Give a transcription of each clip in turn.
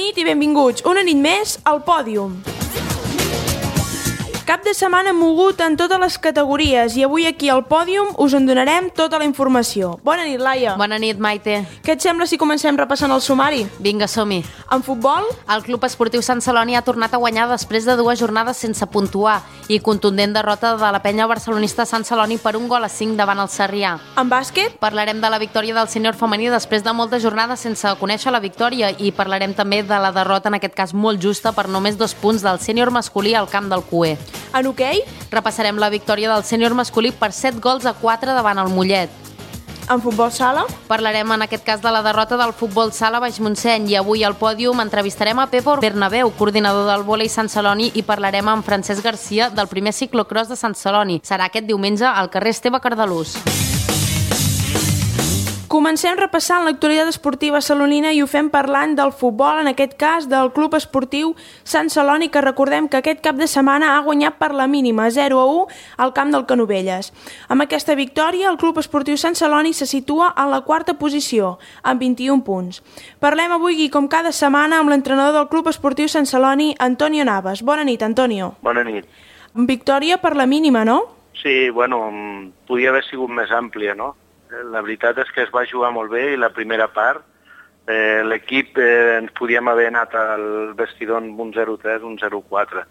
nit i benvinguts una nit més al Pòdium. Cap de setmana mogut en totes les categories i avui aquí al Pòdium us en donarem tota la informació. Bona nit, Laia. Bona nit, Maite. Què et sembla si comencem repassant el sumari? Vinga, som-hi. En futbol? El Club Esportiu Sant Celoni ha tornat a guanyar després de 2 jornades sense puntuar i contundent derrota de la penya barcelonista Sant Celoni per 1-5 davant el Sarrià. En bàsquet? Parlarem de la victòria del sènior femení després de moltes jornades sense conèixer la victòria i parlarem també de la derrota, en aquest cas molt justa, per només 2 punts del sènior masculí al camp del Cué. En hoquei? Repassarem la victòria del sènior masculí per 7-4 davant el Mollet. En futbol sala? Parlarem en aquest cas de la derrota del futbol sala Baix Montseny i avui al Pòdium entrevistarem a Pepo Bernabéu, coordinador del vòlei Sant Celoni, i parlarem amb Francesc Garcia del primer ciclocross de Sant Celoni. Serà aquest diumenge al carrer Esteve Cardalús. Comencem repassant l'actualitat esportiva salonina i ho fem parlant del futbol, en aquest cas del Club Esportiu Sant Celoni, que recordem que aquest cap de setmana ha guanyat per la mínima 0-1 al camp del Canovelles. Amb aquesta victòria, el Club Esportiu Sant Celoni se situa en la 4a posició, amb 21 punts. Parlem avui, i com cada setmana, amb l'entrenador del Club Esportiu Sant Celoni, Antonio Navas. Bona nit, Antonio. Bona nit. Victòria per la mínima, no? Sí, bueno, podia haver sigut més àmplia, no? La veritat és que es va jugar molt bé i la primera part l'equip ens podíem haver anat al vestidor amb un 0-3, un 0-4.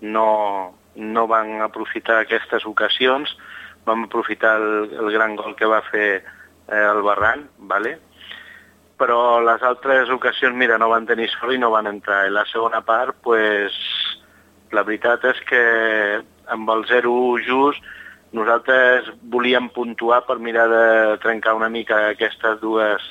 No van aprofitar aquestes ocasions, vam aprofitar el gran gol que va fer el Barran, ¿vale? Però les altres ocasions, mira, no van tenir sort i no van entrar. I la segona part, pues, la veritat és que amb el 0-1 just nosaltres volíem puntuar per mirar de trencar una mica aquestes 2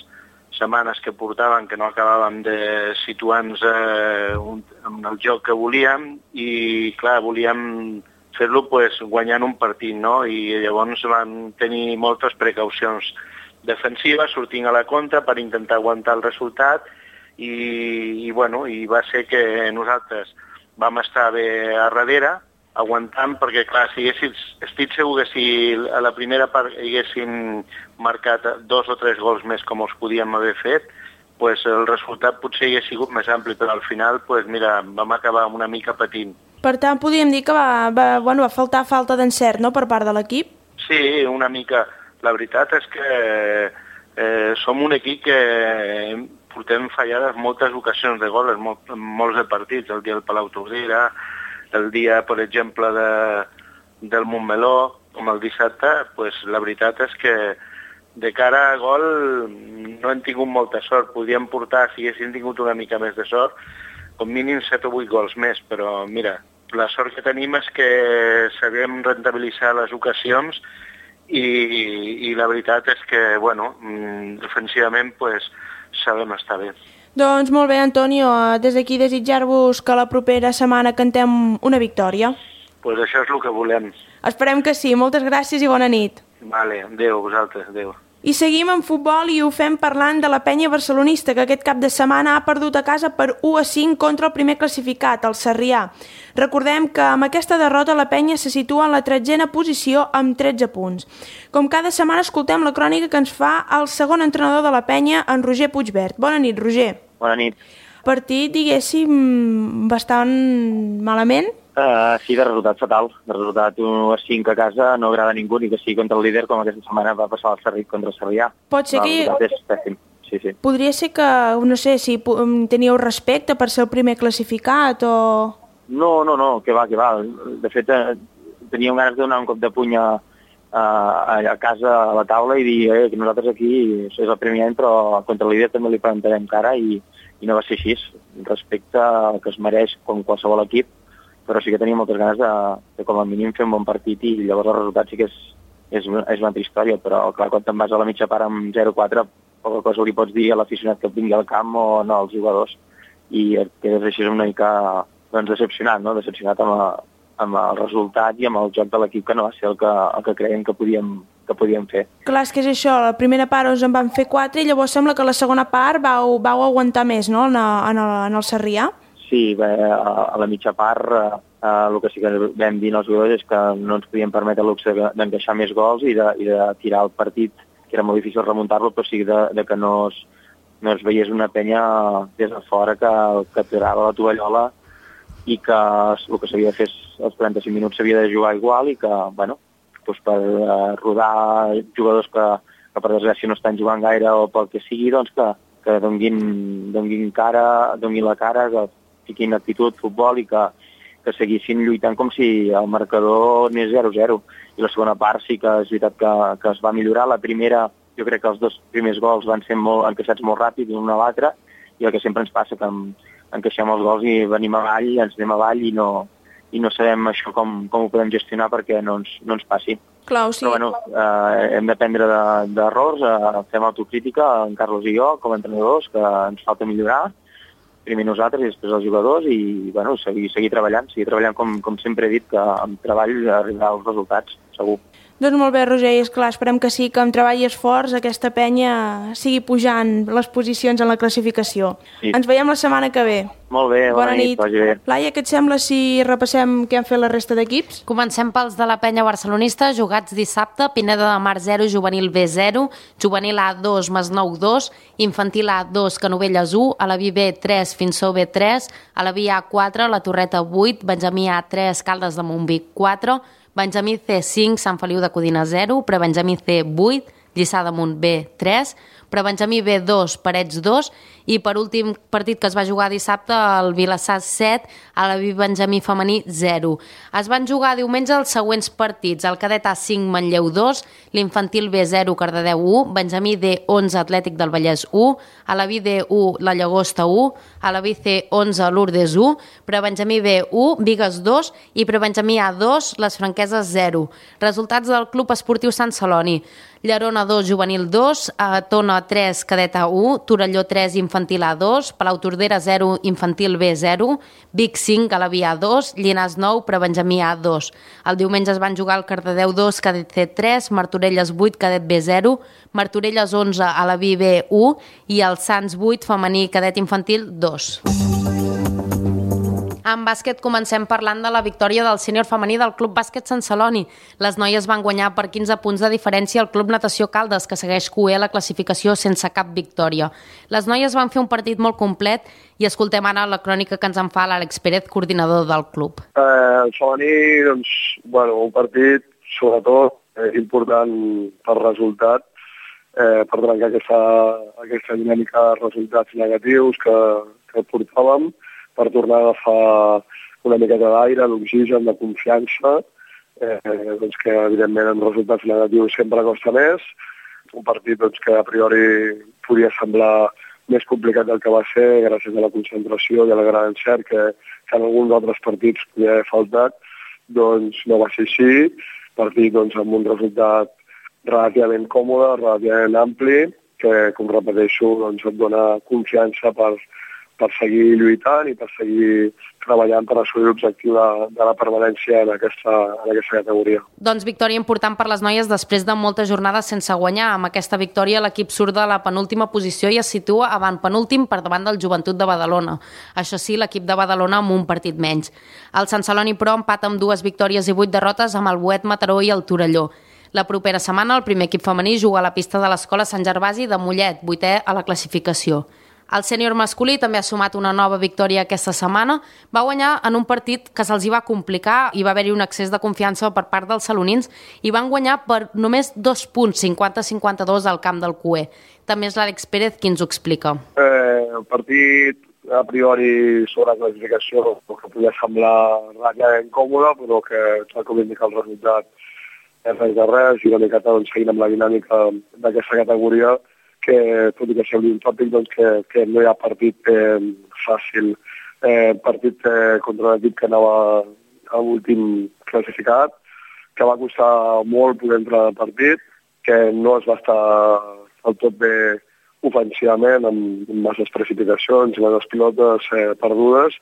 setmanes que portàvem, que no acabàvem de situar-nos en el joc que volíem i, clar, volíem fer-lo pues, guanyant un partit, no? I llavors vam tenir moltes precaucions defensives, sortint a la contra per intentar aguantar el resultat i va ser que nosaltres vam estar bé a darrere, aguantant, perquè clar, estic segur que si a la primera part haguéssim marcat 2 o 3 gols més com els podíem haver fet, pues el resultat potser hagués sigut més ampli, però al final pues, mira, vam acabar una mica patint. Per tant, podríem dir que va falta d'encert, no?, per part de l'equip? Sí, una mica. La veritat és que som un equip que portem fallades moltes ocasions de gol en molts de partits, el dia del Palau Tordera, el dia, per exemple, del Montmeló, com el dissabte, pues, la veritat és que de cara a gol no hem tingut molta sort. Podríem portar, si haguéssim tingut una mica més de sort, com mínim 7 o 8 gols més, però mira, la sort que tenim és que sabem rentabilitzar les ocasions i la veritat és que, bueno, defensivament pues, sabem estar bé. Doncs molt bé, Antonio, des d'aquí desitjar-vos que la propera setmana cantem una victòria. Pues això és el que volem. Esperem que sí. Moltes gràcies i bona nit. Vale, adéu, vosaltres, adéu. I seguim en futbol i ho fem parlant de la penya barcelonista, que aquest cap de setmana ha perdut a casa per 1-5 contra el primer classificat, el Sarrià. Recordem que amb aquesta derrota la penya se situa en la 13a posició amb 13 punts. Com cada setmana escoltem la crònica que ens fa el segon entrenador de la penya, en Roger Puigvert. Bona nit, Roger. Bona nit. Partit, diguéssim, bastant malament? Sí, de resultat fatal. De resultat 1-5 a casa no agrada a ningú, ni que sigui contra el líder, com aquesta setmana va passar el Sarrià contra el Sarrià. Pot ser que... És pèssim, sí. Podria ser que, no sé, si teníeu respecte per ser el primer classificat o... No, que va. De fet, teníem ganes de donar un cop de puny a casa, a la taula, i dir que nosaltres aquí és el primer any, però contra el líder també li plantarem cara, i no va ser així. Respecte al que es mereix com qualsevol equip, però sí que tenia moltes ganes de com a mínim fer un bon partit, i llavors el resultat sí que és una altra història, però clar, quan te'n vas a la mitja part amb 0-4, poca cosa li pots dir a l'aficionat que vingui al camp o no als jugadors, i quedes així una mica decepcionat, no? Decepcionat amb el resultat i amb el joc de l'equip, que no va ser el que creiem que podíem fer. Clar, és que és això, la primera part us en van fer 4 i llavors sembla que la segona part vau aguantar més, no?, en el Sarrià? Sí, a la mitja part el que sí que vam dir als jugadors és que no ens podíem permetre el luxe d'encaixar més gols i de tirar el partit, que era molt difícil remuntar-lo, però sí de que no no es veiés una penya des de fora que tirava la tovallola i que el que s'havia de fer els 45 minuts s'havia de jugar igual i que, bueno, doncs per rodar jugadors que per desgràcia no estan jugant gaire o pel que sigui, doncs que donguin la cara, que fiquin actitud, futbol i que seguissin lluitant com si el marcador anés 0-0. I la segona part sí que és veritat que es va millorar. La primera, jo crec que els 2 primers gols van ser encaixats molt ràpid l'un a l'altre, i el que sempre ens passa, que encaixem els gols i venim avall, ens anem avall i no sabem això com ho podem gestionar perquè no ens passi. Clar, sí. Però bueno, hem d'aprendre d'errors, fem autocrítica, en Carlos i jo, com a entrenadors, que ens falta millorar, primer nosaltres i després els jugadors, i bueno, seguir treballant com sempre he dit, que amb treball arribarà als resultats, segur. Doncs molt bé, Roger, i esclar, esperem que sí, que amb treball i esforç aquesta penya sigui pujant les posicions en la classificació. Sí. Ens veiem la setmana que ve. Molt bé, bona nit. Vagi bé. Laia, què et sembla si repassem què han fet la resta d'equips? Comencem pels de la penya barcelonista, jugats dissabte: Pineda de Mar 0, Juvenil B 0, Juvenil A 2, Masnou 2, Infantil A 2, Canovelles 1, Alaví B 3, Finsó B 3, Alaví A 4, La Torreta 8, Benjamí A 3, Caldes de Montvic 4, Benjamí C 5, Sant Feliu de Codina 0, Prebenjamí C 8, Lliçà d'Amunt B 3, Prebenjamí B 2, Parets 2, i per últim partit que es va jugar dissabte, el Vilassar 7, Alaví Benjamí femení 0. Es van jugar diumenge els següents partits: el cadet A 5, Manlleu 2, l'Infantil B 0, Cardedeu 1, Benjamí D 11, Atlètic del Vallès 1, Alaví D 1, La Llagosta 1, Alaví C 11, Lourdes 1, Prebenjamí B 1, Bigues 2 i Prebenjamí A 2, Les Franqueses 0. Resultats del Club Esportiu Sant Celoni: Llerona 2, Juvenil 2, Tona 3, Cadet A 1, Torelló 3, Infantil A 2, Palau Tordera 0, Infantil B 0, Vic 5, Alaví A 2, Llinars 9, Prebenjamí A 2. El diumenge es van jugar el Cardedeu 2, Cadet C 3, Martorelles 8, Cadet B 0, Martorelles 11, Alaví B 1 i el Sants 8, femení Cadet Infantil 2. En bàsquet comencem parlant de la victòria del sènior femení del Club Bàsquet Sant Celoni. Les noies van guanyar per 15 punts de diferència al Club Natació Caldes, que segueix cuer la classificació sense cap victòria. Les noies van fer un partit molt complet i escoltem ara la crònica que ens en fa l'Àlex Pérez, coordinador del club. El femení, doncs, un partit sobretot important per resultat, per trencar aquesta dinàmica de resultats negatius que portàvem, per tornar a agafar una miqueta d'aire, d'oxigen, de confiança, doncs que evidentment en resultats negatius sempre costa més. Un partit que a priori podia semblar més complicat del que va ser, gràcies a la concentració i a la gran encert que en alguns altres partits podia haver faltat, doncs no va ser així. Partit amb un resultat relativament còmode, relativament ampli, que, com repeteixo, et dona confiança per seguir lluitant i per seguir treballant per assolir l'objectiu de la permanència en aquesta categoria. Doncs victòria important per les noies després de moltes jornades sense guanyar. Amb aquesta victòria l'equip surt de la penúltima posició i es situa avantpenúltim per davant del Joventut de Badalona. Això sí, l'equip de Badalona amb un partit menys. El Sant Celoni, però, empata amb 2 victòries i 8 derrotes amb el Boet, Mataró i el Torelló. La propera setmana el primer equip femení juga a la pista de l'Escola Sant Gervasi de Mollet, 8è a la classificació. El sènior masculí també ha sumat una nova victòria aquesta setmana. Va guanyar en un partit que se'ls va complicar i va haver-hi un excés de confiança per part dels salonins i van guanyar per només 2 punts, 50-52 al camp del CUE. També és l'Àlex Pérez qui ens ho explica. El partit, a priori, sobre la classificació, que podia semblar relativament còmode, però que, tal com indica el resultat, és res de res, i una miqueta seguint amb la dinàmica d'aquesta categoria, que tot i que sembli un tòpic, que no hi ha partit fàcil. Partit contra l'equip que anava a l'últim classificat, que va costar molt poder entrar al partit, que no es va estar del tot bé ofensivament, amb masses precipitacions i masses pilotes perdudes,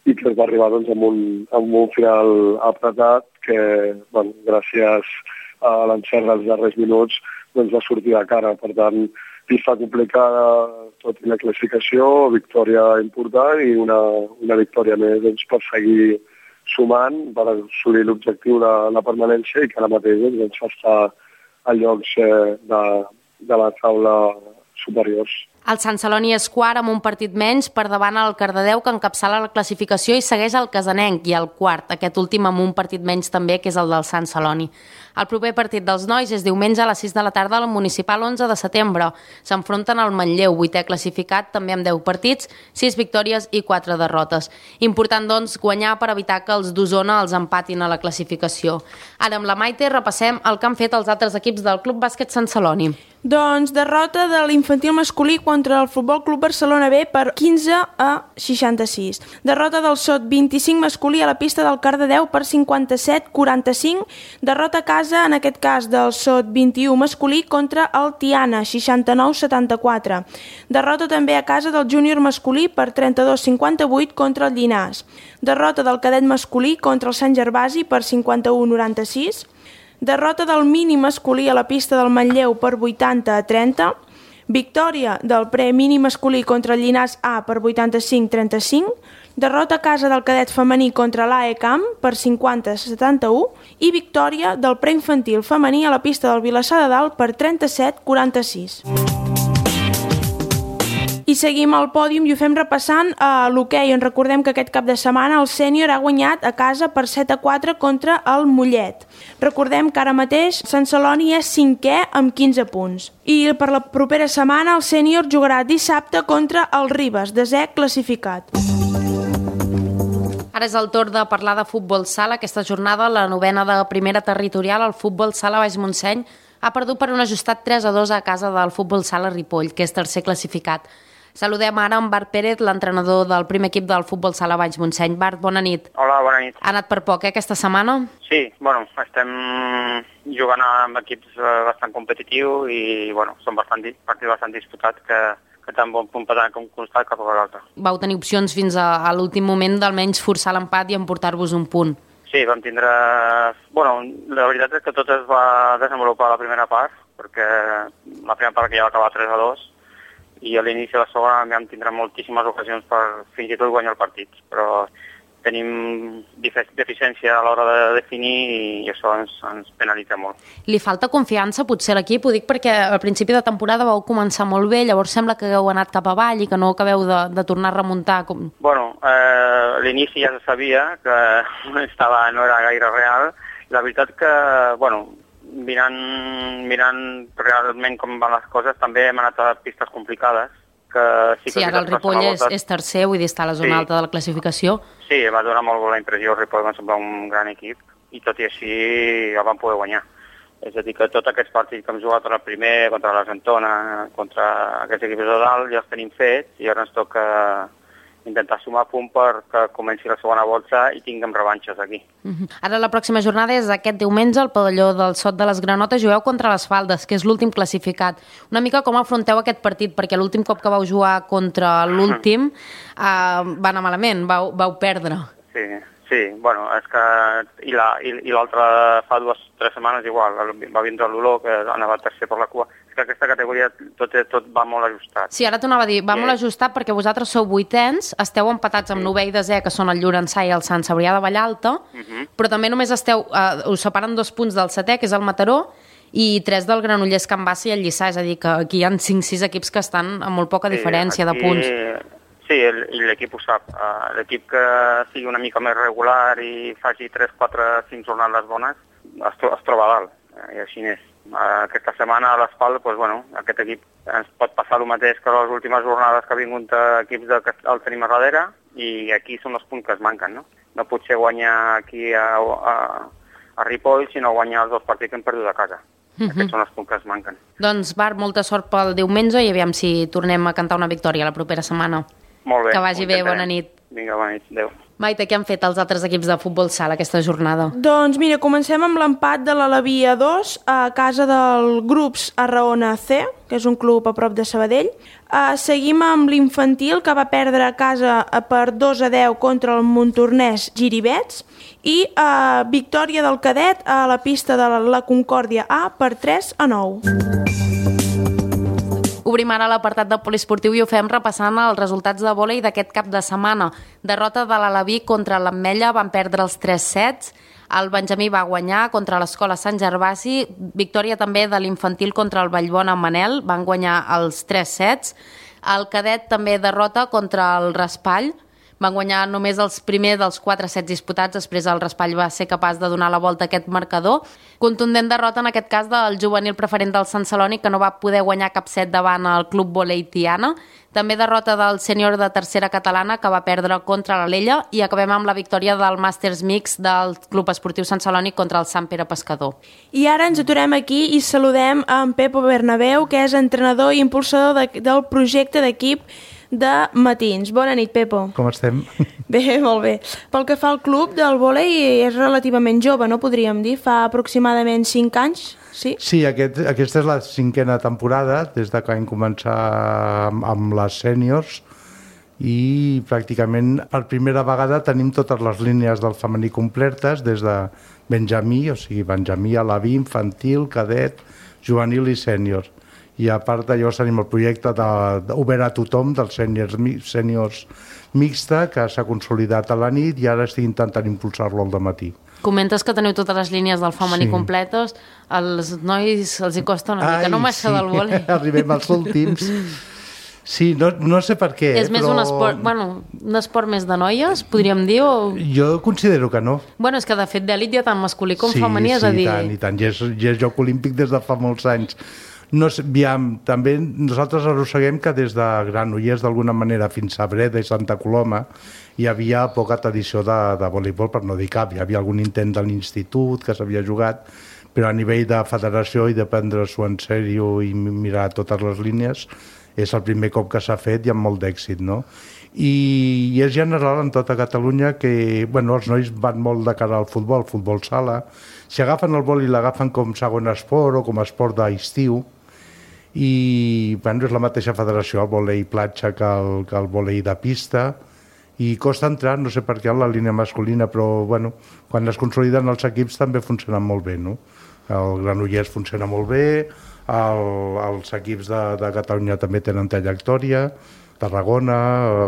i que es va arribar amb un final apretat que, gràcies a l'encert dels darrers minuts, va sortir de cara. Per tant, pista complicada tot i la classificació, victòria important i una victòria més per seguir sumant, per assolir l'objectiu de la permanència i que ara mateix fa estar a llocs de la taula superiors. El Sant Celoni és quart amb un partit menys per davant el Cardedeu, que encapçala la classificació, i segueix el Casanenc i el quart, aquest últim amb un partit menys també, que és el del Sant Celoni. El proper partit dels nois és diumenge a les 6 de la tarda al Municipal 11 de setembre. S'enfronten al Manlleu, 8è classificat, també amb 10 partits, 6 victòries i 4 derrotes. Important, doncs, guanyar per evitar que els d'Osona els empatin a la classificació. Ara, amb la Maite, repassem el que han fet els altres equips del Club Bàsquet Sant Celoni. Doncs derrota de l'infantil masculí contra el Futbol Club Barcelona B per 15-66. Derrota del SOT 25 masculí a la pista del Cardedeu per 57-45. Derrota a casa, en aquest cas, del SOT 21 masculí contra el Tiana, 69-74. Derrota també a casa del júnior masculí per 32-58 contra el Llinars. Derrota del cadet masculí contra el Sant Gervasi per 51-96. Derrota del mini masculí a la pista del Manlleu per 80-30. Victòria del pre-mini masculí contra el Llinars A per 85-35. Derrota a casa del cadet femení contra l'AE Camp per 50-71. I victòria del preinfantil femení a la pista del Vilassar de Dalt per 37-46. I seguim al pòdium i ho fem repassant a l'hoquei, on recordem que aquest cap de setmana el sènior ha guanyat a casa per 7-4 contra el Mollet. Recordem que ara mateix Sant Celoni és 5è amb 15 punts. I per la propera setmana el sènior jugarà dissabte contra el Ribes, 10è classificat. Ara és el torn de parlar de futbol sala. Aquesta jornada, la 9ª de primera territorial, el futbol sala Baix Montseny ha perdut per un ajustat 3-2 a casa del futbol sala Ripoll, que és tercer classificat. Saludem ara amb Bart Pérez, l'entrenador del primer equip del futbol sala Baix Montseny. Bart, bona nit. Hola, bona nit. Ha anat per poc, aquesta setmana? Sí, estem jugant amb equips bastant competitius i, són partits bastant disputats que tant bon punt com constat cap a l'altre. Vau tenir opcions fins a l'últim moment d'almenys forçar l'empat i emportar-vos un punt. Sí, vam tindre... la veritat és que tot es va desenvolupar a la primera part, perquè la primera part que ja va acabar 3-2, i a l'inici de la segona vam tindre moltíssimes ocasions per fins i tot guanyar el partit, però tenim deficiència a l'hora de definir i això ens penalitza molt. Li falta confiança potser a l'equip? Ho dic perquè al principi de temporada vau començar molt bé, llavors sembla que heu anat cap avall i que no acabeu de tornar a remuntar. A l'inici ja se sabia que no era gaire real. La veritat que, mirant realment com van les coses, també hem anat a pistes complicades. Sí, ara el Ripoll és tercer, vull dir, està a la zona alta de la classificació. Sí, va donar molt la impressió, el Ripoll va semblar un gran equip, i tot i així el van poder guanyar. És a dir, que tots aquests partits que hem jugat contra el primer, contra l'Argentona, contra aquests equips de dalt, ja els tenim fets, i ara ens toca intentar sumar punt perquè comenci la segona volta i tinguem revanxes aquí. Ara la pròxima jornada és aquest diumenge al pavelló del Sot de les Granotes. Jugueu contra les Faldes, que és l'últim classificat. Una mica com afronteu aquest partit, perquè l'últim cop que vau jugar contra l'últim va anar malament, vau perdre. Sí, és que... I l'altre fa 2 o 3 setmanes igual, va vindre l'Olor, que anava tercer per la cua. És que aquesta categoria tot va molt ajustat. Sí, ara t'anava a dir, va molt ajustat perquè vosaltres sou 8ens, esteu empatats amb 9è i 10è, que són el Llorençà i el Sant Cebrià de Vallalta, però també només us separen 2 punts del 7è, que és el Mataró, i 3 del Granollers, Can Bassa i el Lliçà, és a dir, que aquí hi ha 5-6 equips que estan amb molt poca diferència de punts. Sí, i l'equip ho sap. L'equip que sigui una mica més regular i faci 3, 4, 5 jornades bones es troba a dalt, i així és. Aquesta setmana a l'Espal, aquest equip ens pot passar el mateix que les últimes jornades que ha vingut equips que el tenim a darrere, i aquí són els punts que es manquen, no? No potser guanyar aquí a Ripoll, sinó guanyar els 2 partits que hem perdut a casa. Aquests són els punts que es manquen. Doncs, Bart, molta sort pel diumenge i aviam si tornem a cantar una victòria la propera setmana. Molt bé. Que vagi bé, bona nit. Vinga, bona nit, adéu. Maite, què han fet els altres equips de futbol sala aquesta jornada? Doncs mira, comencem amb l'empat de l'Alaví a 2 a casa del Grups Arraona C, que és un club a prop de Sabadell. Seguim amb l'infantil, que va perdre a casa per 2-10 contra el Montornès Giribets, i victòria del cadet a la pista de la Concòrdia A per 3-9. Obrim ara l'apartat de poliesportiu i ho fem repassant els resultats de vòlei d'aquest cap de setmana. Derrota de l'Alaví contra l'Ametlla, van perdre els 3 sets. El Benjamí va guanyar contra l'Escola Sant Gervasi, victòria també de l'infantil contra el Vallbona Manel, van guanyar els 3 sets. El cadet també derrota contra el Raspall, van guanyar només els primers dels 4 sets disputats, després el Raspall va ser capaç de donar la volta a aquest marcador. Contundent derrota en aquest cas del juvenil preferent del Sant Celoni, que no va poder guanyar cap set davant el Club Volei Tiana. També derrota del sènior de tercera catalana, que va perdre contra l'Alella, i acabem amb la victòria del Màsters Mix del Club Esportiu Sant Celoni contra el Sant Pere Pescador. I ara ens aturem aquí i saludem en Pepo Bernabéu, que és entrenador i impulsador del projecte d'equip de Matins. Bona nit, Pepo. Com estem? Bé, molt bé. Pel que fa al club del vòlei, és relativament jove, no podríem dir? Fa aproximadament 5 anys, sí? Sí, aquesta és la 5a temporada, des que vam començar amb les sèniors, i pràcticament per primera vegada tenim totes les línies del femení completes, des de Benjamí, o sigui, Benjamí, alaví, infantil, cadet, juvenil i sènior. I a part d'allò tenim el projecte obert a tothom dels sèniors mixta, que s'ha consolidat a la nit i ara estic intentant impulsar-lo al dematí. Comentes que teniu totes les línies del femení completes, als nois els hi costa una mica, no massa del vòlei. Arribem als últims. Sí, no sé per què. És més un esport, un esport més de noies, podríem dir? O... Jo considero que no. Bueno, és que de fet d'elit hi ha tant masculí com femení, és a dir... Sí, i tant, i és joc olímpic des de fa molts anys. No sé, també nosaltres arrosseguem que des de Granollers d'alguna manera fins a Breda i Santa Coloma hi havia poca tradició de voleibol, per no dir cap. Hi havia algun intent de l'institut que s'havia jugat, però a nivell de federació i de prendre-s'ho en sèrio i mirar totes les línies és el primer cop que s'ha fet i amb molt d'èxit, no? I és general en tota Catalunya que els nois van molt de cara al futbol sala. Si agafen el vòlei l'agafen com segon esport o com a esport d'estiu, i és la mateixa federació, el vòlei platja que el vòlei de pista, i costa entrar, no sé per què, en la línia masculina, però quan es consoliden els equips també funcionen molt bé, no? El Granollers funciona molt bé, els equips de Catalunya també tenen trajectòria, Tarragona,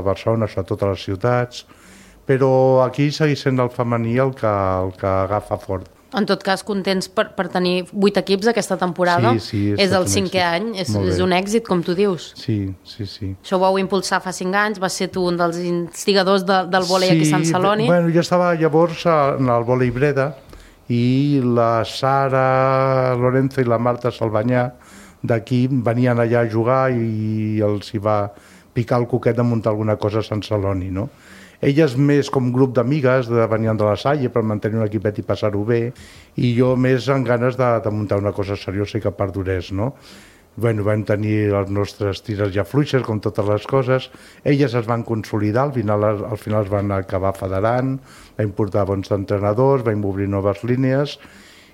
Barcelona, sobretot a les ciutats, però aquí segueix sent el femení el que agafa fort. En tot cas, contents per tenir 8 equips aquesta temporada. Sí, és el 5è any, és un èxit, com tu dius. Sí. Això ho vau impulsar fa 5 anys, vas ser tu un dels instigadors del vòlei aquí a Sant Celoni. Jo estava llavors en el vòlei Breda i la Sara Lorenzo i la Marta Salvanyà d'aquí venien allà a jugar i els hi va picar el coquet de muntar alguna cosa a Sant Celoni, no? Elles més com grup d'amigues, venien de la Salle per mantenir un equipet i passar-ho bé, i jo més amb ganes de muntar una cosa seriosa i que perdurés, no? Vam tenir els nostres tires i afluixes, com totes les coses. Elles es van consolidar, al final es van acabar federant, vam portar bons entrenadors, vam obrir noves línies,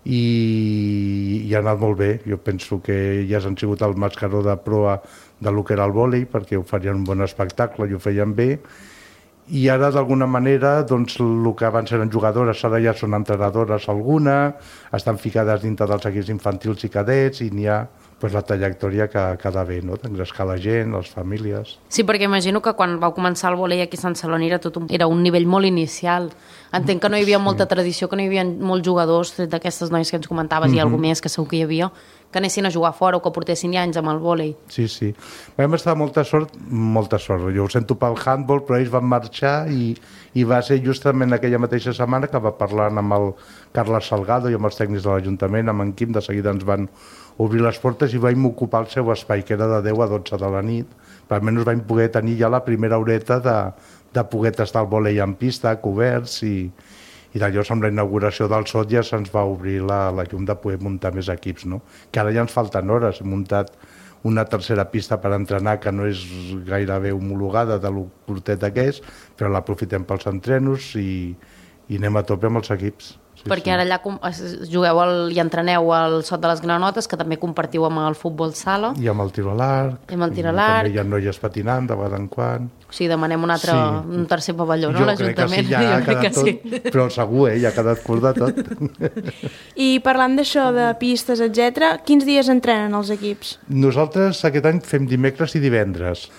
i ha anat molt bé. Jo penso que elles han sigut el mascaró de proa del que era el vòlei, perquè oferien un bon espectacle i ho feien bé. I ara, d'alguna manera, el que abans eren jugadores, ara ja són entrenadores alguna, estan ficades dintre dels equips infantils i cadets, i n'hi ha la trajectòria que ha d'haver, no? D'engrescar la gent, les famílies... Sí, perquè imagino que quan vau començar el vòlei aquí a Sant Celoni era un nivell molt inicial. Entenc que no hi havia molta tradició, que no hi havia molts jugadors d'aquestes noies que ens comentaves i alguna més que segur que hi havia, que anessin a jugar fora o que portessin anys amb el vòlei. Sí. Vam estar molta sort. Jo ho sento pel handball, però ells van marxar i va ser justament aquella mateixa setmana que va parlar amb el Carles Salgado i amb els tècnics de l'Ajuntament, amb en Quim, de seguida ens van obrir les portes i vam ocupar el seu espai, que era de 10 a 12 de la nit. Per almenys vam poder tenir ja la primera horeta de poder tastar el vòlei en pista, coberts, i d'allò amb la inauguració del SOT ja se'ns va obrir la llum de poder muntar més equips, no? Que ara ja ens falten hores. Hem muntat una tercera pista per entrenar que no és gairebé homologada de lo curteta que és, però l'aprofitem pels entrenos i anem a tope amb els equips. Perquè ara allà jugueu i entreneu al Sot de les Granotes, que també compartiu amb el futbol sala. I amb el tir a l'arc. També hi ha noies patinant de vegades en quan. O sigui, demanem un tercer pavelló, no, l'Ajuntament? Jo crec que sí, però segur, ja ha quedat curt de tot. I parlant d'això, de pistes, etc., quins dies entrenen els equips? Nosaltres aquest any fem dimecres i divendres.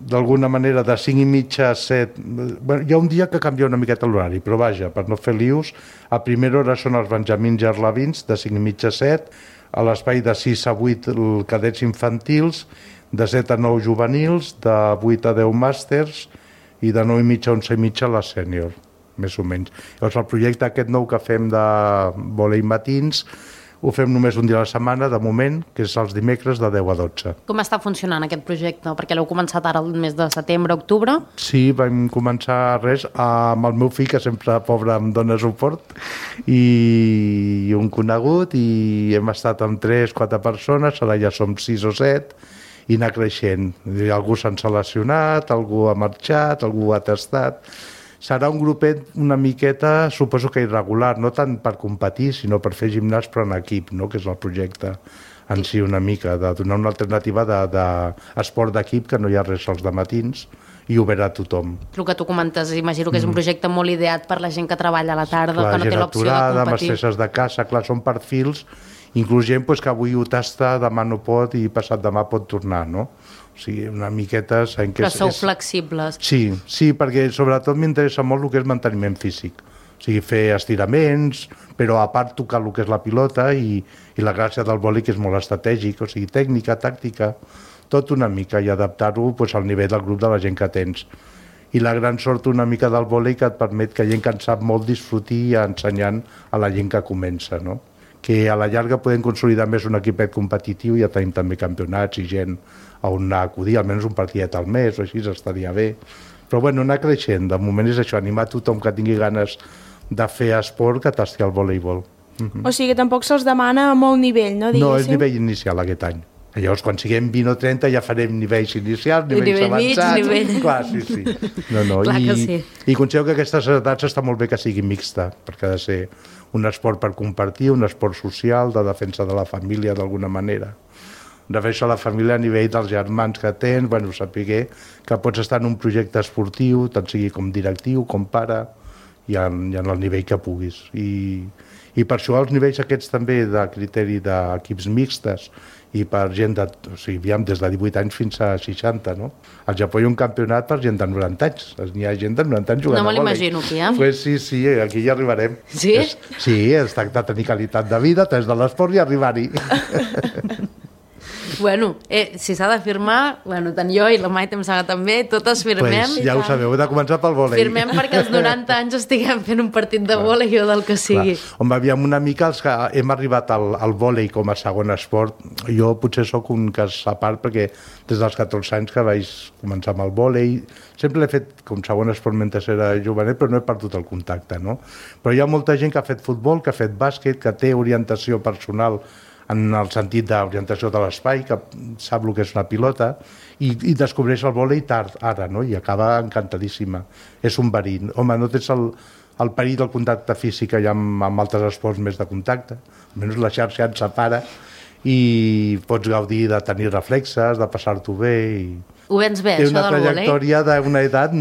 d'alguna manera de 5:30 a 7. Bueno, hi ha un dia que canvia una miqueta l'horari, però vaja, per no fer lius, a primera hora són els benjamins i arlevins, de 5:30 a 7, a l'espai de 6 a 8 cadets infantils, de 7 a 9 juvenils, de 8 a 10 màsters i de 9:30 a 11:30 la sènior, més o menys. Llavors el projecte aquest nou que fem de vòlei matins ho fem només un dia a la setmana, de moment, que és els dimecres de 10 a 12. Com està funcionant aquest projecte? Perquè l'heu començat ara el mes de setembre, octubre? Sí, vam començar amb el meu fill, que sempre, pobre, em dona suport, i un conegut, i hem estat amb 3-4 persones, ara ja som 6 o 7, i anar creixent. Algú s'ha seleccionat, algú ha marxat, algú ha tastat. Serà un grupet una miqueta, suposo que irregular, no tant per competir, sinó per fer gimnàs però en equip, no? Que és el projecte en si una mica, de donar una alternativa d'esport d'equip, que no hi ha res als dematins, i obert a tothom. El que tu comentes, imagino que és un projecte molt ideat per la gent que treballa a la tarda, clar, que no té l'opció de competir. mestresses de casa, clar, són perfils, inclús gent que avui ho tasta, demà no pot i passat demà pot tornar, no? O sigui, una miqueta... Però sou flexibles. Sí, perquè sobretot m'interessa molt el que és manteniment físic. O sigui, fer estiraments, però a part tocar el que és la pilota i la gràcia del vòlei, que és molt estratègic, o sigui, tècnica, tàctica, tot una mica, i adaptar-ho al nivell del grup de la gent que tens. I la gran sort una mica del vòlei que et permet que gent que en sap molt disfrutir ensenyant a la gent que comença, no? Que a la llarga podem consolidar més un equipet competitiu, ja tenim també campionats i gent on anar a acudir, almenys un partidet al mes o així, estaria bé. Però bueno, anar creixent, de moment és això, animar tothom que tingui ganes de fer esport que tasti al voleibol. O sigui que tampoc se'ls demana molt nivell, no? No, és nivell inicial aquest any. Llavors, quan siguem 20 o 30 ja farem nivells inicials, nivells avançats... Nivell. Clar, sí. Clar que sí. I considero que aquestes edats està molt bé que sigui mixta, perquè ha de ser un esport per compartir, un esport social, de defensa de la família d'alguna manera. Defensa la família a nivell dels germans que tens, saber que pots estar en un projecte esportiu, tant sigui com directiu, com pare, i en el nivell que puguis. I per això els nivells aquests també de criteri d'equips mixtes i per gent des de 18 anys fins a 60, no? Al Japó hi ha un campionat per gent de 90 anys. N'hi ha gent de 90 anys jugant a vòlei. No me l'imagino, aquí, Pues sí, aquí ja arribarem. Sí? Sí, es tracta de tenir qualitat de vida, des de l'esport i arribar-hi. Bueno, si s'ha de firmar, tant jo i la Maite em sembla també, totes firmem. Pues ja ho sabeu, heu de començar pel vòlei. Firmem perquè als 90 anys estiguem fent un partit de vòlei o del que sigui. Home, aviam una mica els que hem arribat al vòlei com a segon esport. Jo potser sóc un cas a part perquè des dels 14 anys que vaig començar amb el vòlei, sempre l'he fet com segon esport mentre era jovenet, però no he perdut el contacte, no? Però hi ha molta gent que ha fet futbol, que ha fet bàsquet, que té orientació personal en el sentit d'orientació de l'espai, que sap el que és una pilota, i descobreix el vòlei tard, ara, no? I acaba encantadíssima. És un verí. Home, no tens el perill del contacte físic que hi ha amb altres esports més de contacte, almenys la xarxa et separa, i pots gaudir de tenir reflexes, de passar-t'ho bé. Ho vens bé, això del vòlei? Té una trajectòria d'una edat...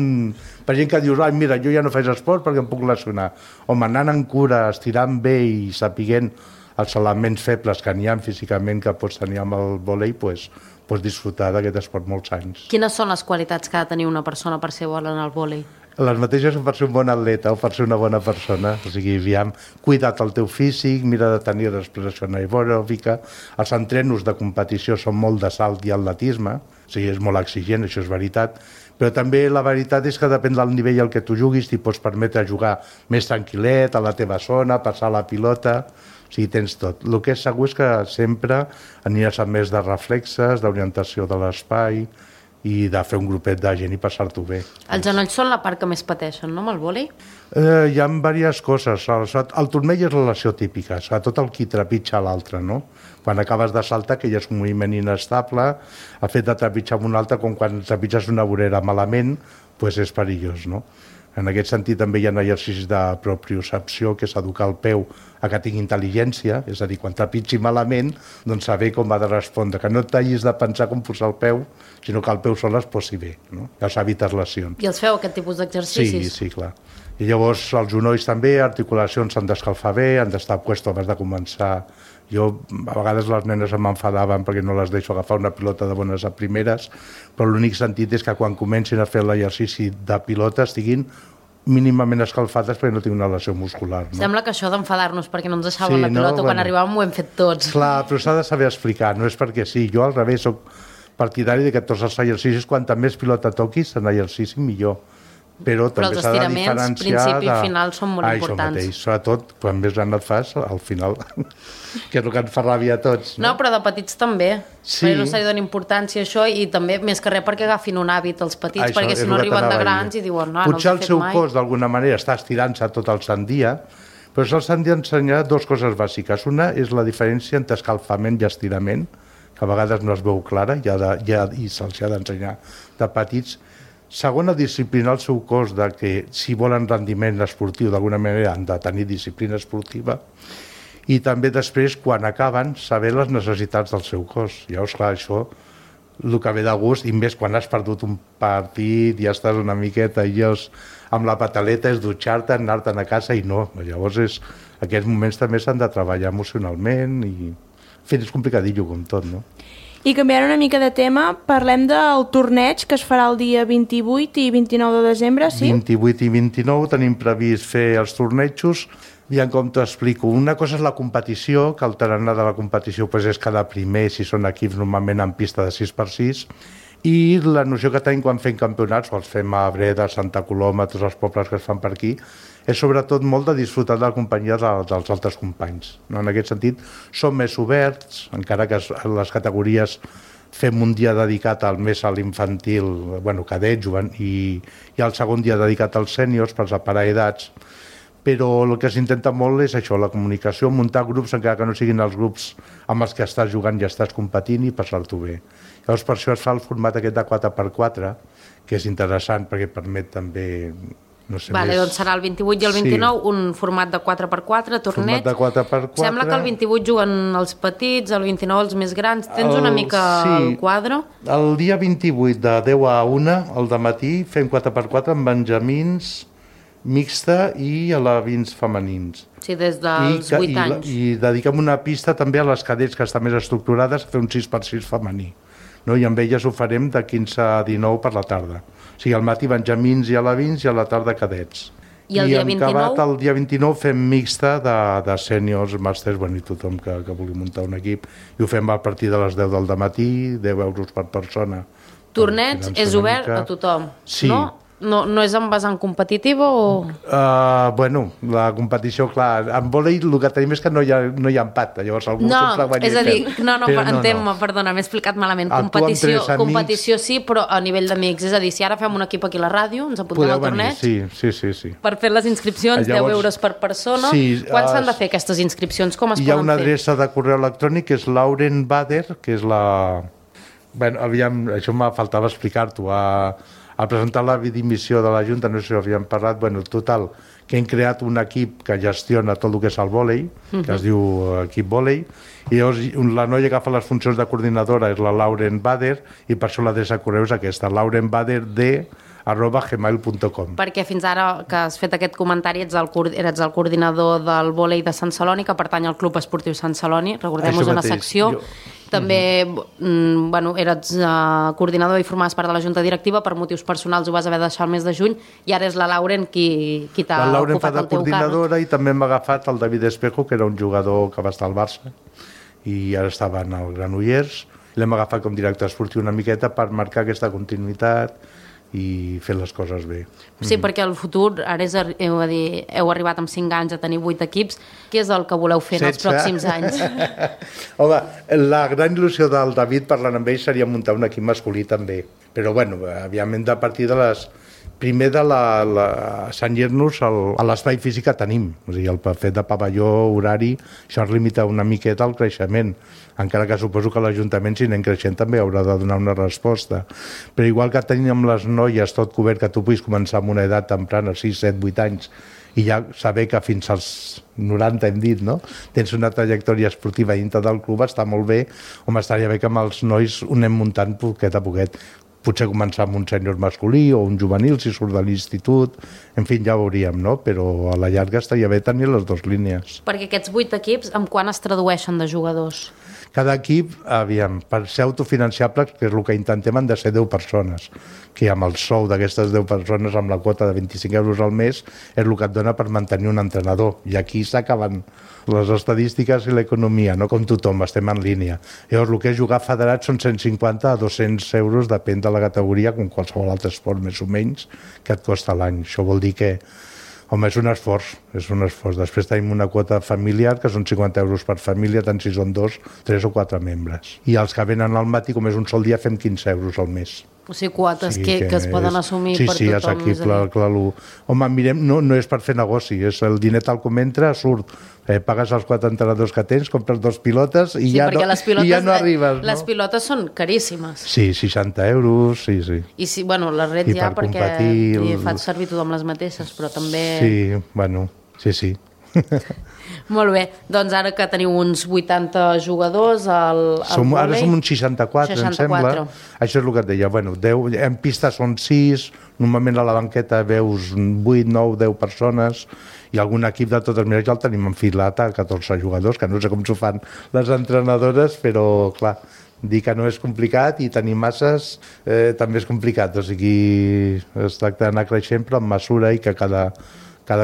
Per gent que dius, mira, jo ja no faig esport perquè em puc lesionar. Home, anant en cura, estirant bé i sapiguent els elements febles que n'hi ha físicament que pots tenir amb el vòlei, pots disfrutar d'aquest esport molts anys. Quines són les qualitats que ha de tenir una persona per ser bona en el vòlei? Les mateixes per ser un bon atleta o per ser una bona persona. O sigui, cuida't el teu físic, mira de tenir respiració anaeròbica. Els entrenos de competició són molt de salt i atletisme, o sigui, és molt exigent, això és veritat. Però també la veritat és que depèn del nivell al que tu juguis, t'hi pots permetre jugar més tranquil·let, a la teva zona, passar la pilota... O sigui, tens tot. El que és segur és que sempre aniràs amb més de reflexes, d'orientació de l'espai i de fer un grupet de gent i passar-t'ho bé. Els genolls són la part que més pateixen, no, amb el vòlei? Hi ha diverses coses. El turmell és la lesió típica, sobretot el qui trepitja l'altre, no? Quan acabes de saltar, que ja és un moviment inestable, el fet de trepitjar amb un altre, com quan trepitges una vorera malament, doncs és perillós, no? En aquest sentit també hi ha exercicis de propriocepció, que és educar el peu a que tingui intel·ligència, és a dir, quan trepitgi malament, doncs saber com ha de respondre, que no t'hagis de pensar com posar el peu, sinó que el peu sol es posi bé, no? Ja s'evites lesions. I els feu aquest tipus d'exercicis? Sí, clar. I llavors els genolls també, articulacions s'han d'escalfar bé, han d'estar puestos abans de començar. Jo, a vegades les nenes m'enfadaven perquè no les deixo agafar una pilota de bones a primeres, però l'únic sentit és que quan comencin a fer l'exercici de pilota estiguin mínimament escalfades perquè no tinc una lesió muscular. No? Sembla que això d'enfadar-nos perquè no ens deixaven la pilota quan arribàvem ho hem fet tots. Clar, però s'ha de saber explicar, no és perquè sí. Jo al revés soc partidari de que tots els exercicis, quanta més pilota toquis en exercici millor. Però també s'ha de diferenciar... principi i final són molt importants. Això mateix, sobretot quan més gran et fas, al final, que és el que ens fa ràbia a tots. No, però de petits també. Sí. Perquè no se li dona importància a això i també, més que res, perquè agafin un hàbit els petits, perquè si no arriben de grans i diuen, no, potser no els he fet mai. Potser el seu cos, d'alguna manera, està estirant-se tot el sant dia, però se'ls han d'ensenyar dues coses bàsiques. Una és la diferència entre escalfament i estirament, que a vegades no es veu clara i se'ls ha d'ensenyar de petits. Segona, disciplinar el seu cos de que si volen rendiment esportiu d'alguna manera han de tenir disciplina esportiva i també després, quan acaben, saber les necessitats del seu cos. Llavors, clar, això el que ve de gust, i més quan has perdut un partit i ja estàs una miqueta i llavors amb la pataleta és dutxar-te, anar-te'n a casa i no. Llavors, aquests moments també s'han de treballar emocionalment i és complicadillo com tot, no? I canviant una mica de tema, parlem del torneig que es farà el dia 28 i 29 de desembre, sí? 28 i 29 tenim previst fer els tornejos. Aviam com t'ho explico. Una cosa és la competició, que el tarannà de la competició és cada primer, si són equips normalment en pista de 6x6, i la noció que tenim quan fem campionats, els fem a Breda, Santa Coloma, tots els pobles que es fan per aquí, és sobretot molt de disfrutar de la companyia dels altres companys. En aquest sentit, som més oberts, encara que les categories fem un dia dedicat més a l'infantil, cadet, jovent, i el segon dia dedicat als sèniors per separar edats, però el que s'intenta molt és això, la comunicació, muntar grups, encara que no siguin els grups amb els que estàs jugant i estàs competint i passar-t'ho bé. Llavors, per això es fa el format aquest de 4x4, que és interessant perquè permet també... No sé, doncs serà el 28 i el 29, un format de 4x4, torneig. Format de 4x4. Sembla que el 28 juguen els petits, el 29 els més grans. Tens una mica el quadre? El dia 28 de 10 a 1, al dematí, fem 4x4 amb benjamins, mixta i alevins femenins. Sí, des dels 8 anys. I dediquem una pista també a les cadets que estan més estructurades a fer un 6x6 femení. No? I amb elles ho farem de 15 a 19 per la tarda. O sigui, al matí benjamins i alevins i a la tarda cadets. I el dia 29? El dia 29 fem mixta de sèniors, màsters, i tothom que vulgui muntar un equip. I ho fem a partir de les 10 del dematí, 10 euros per persona. Torneig és obert a tothom, sí. No? No és en vessant competitiva o...? La competició, clar, en vòlei el que tenim és que no hi ha empat, llavors algú sempre guanya. És a dir, perdona, m'he explicat malament. Competició sí, però a nivell d'amics. És a dir, si ara fem un equip aquí a la ràdio, ens apuntem al torneig. Sí. Per fer les inscripcions, 10 euros per persona. Quan s'han de fer aquestes inscripcions? Com es poden fer? Hi ha una adreça de correu electrònic que és Lauren Bader, que és la... això m'ha faltava explicar-t'ho. Al presentar la dimissió de la Junta, no sé si havíem parlat, total, que hem creat un equip que gestiona tot el que és el vòlei, que es diu equip vòlei, i llavors la noia que fa les funcions de coordinadora és la Lauren Bader, i per això l'adreça de correu és aquesta, laurenbader@gmail.com. Perquè fins ara que has fet aquest comentari eres el coordinador del vòlei de Sant Celoni, que pertany al Club Esportiu Sant Celoni, recordem-nos una secció. També eres coordinador i formaves part de la Junta Directiva, per motius personals ho vas haver de deixar el mes de juny, i ara és la Lauren qui t'ha ocupat el teu càrrec. La Lauren fa de coordinadora i també m'ha agafat el David Espejo, que era un jugador que va estar al Barça i ara estava en el Granollers. L'hem agafat com director esportiu una miqueta per marcar aquesta continuïtat i fer les coses bé. Sí, perquè el futur, ara heu arribat amb 5 anys a tenir 8 equips. Què és el que voleu fer en els pròxims anys? Home, la gran il·lusió del David parlant amb ell seria muntar un equip masculí també. Però, aviam, hem de partir de les... Primer cenyir-nos a l'espai físic que tenim. O sigui, el fet de pavelló horari, això ens limita una miqueta al creixement. Encara que suposo que l'Ajuntament, si anem creixent, també haurà de donar una resposta. Però igual que tenim amb les noies tot cobert, que tu puguis començar amb una edat temprana, 6, 7, 8 anys, i ja saber que fins als 90, hem dit, no? Tens una trajectòria esportiva dintre del club, està molt bé. Home, estaria bé que amb els nois ho anem muntant poquet a poquet. Potser començar amb un sènior masculí o un juvenil si surt de l'institut, en fi, ja ho veuríem, no? Però a la llarga estaria bé tenir les dues línies. Perquè aquests 8 equips, amb quan es tradueixen de jugadors? Cada equip, aviam, per ser autofinanciables, que és el que intentem, han de ser 10 persones, que amb el sou d'aquestes 10 persones, amb la quota de 25 euros al mes, és el que et dona per mantenir un entrenador. I aquí s'acaben les estadístiques i l'economia, no com tothom, estem en línia. Llavors, el que és jugar federat són 150 a 200 euros, depèn de la categoria, com qualsevol altre esport, més o menys, que et costa l'any. Això vol dir que home, és un esforç, és un esforç. Després tenim una quota familiar, que són 50 euros per família, tant si són 2, 3 o 4 membres. I els que venen al matí, com és un sol dia, fem 15 euros al mes. O sigui, quotes que es poden assumir per tothom. Sí, assequible. Home, mirem, no és per fer negoci, és el diner tal com entra, surt. Pagues els 4 entrenadors que tens, compres 2 pilotes i ja no arribes. Les pilotes són caríssimes. Sí, 60 euros, sí. I sí, bueno, les rets ja perquè hi faig servir tothom les mateixes, però també... Sí, bueno, sí. Molt bé, doncs ara que teniu uns 80 jugadors al vòlei... Ara som uns 64, em sembla. Això és el que et deia. Bueno, 10, en pista són 6, normalment a la banqueta veus 8, 9, 10 persones, i algun equip de totes maneres ja el tenim enfilat a 14 jugadors, que no sé com s'ho fan les entrenadores, però clar, dir que no és complicat i tenir masses també és complicat, o sigui, es tracta d'anar creixent però amb mesura i que cada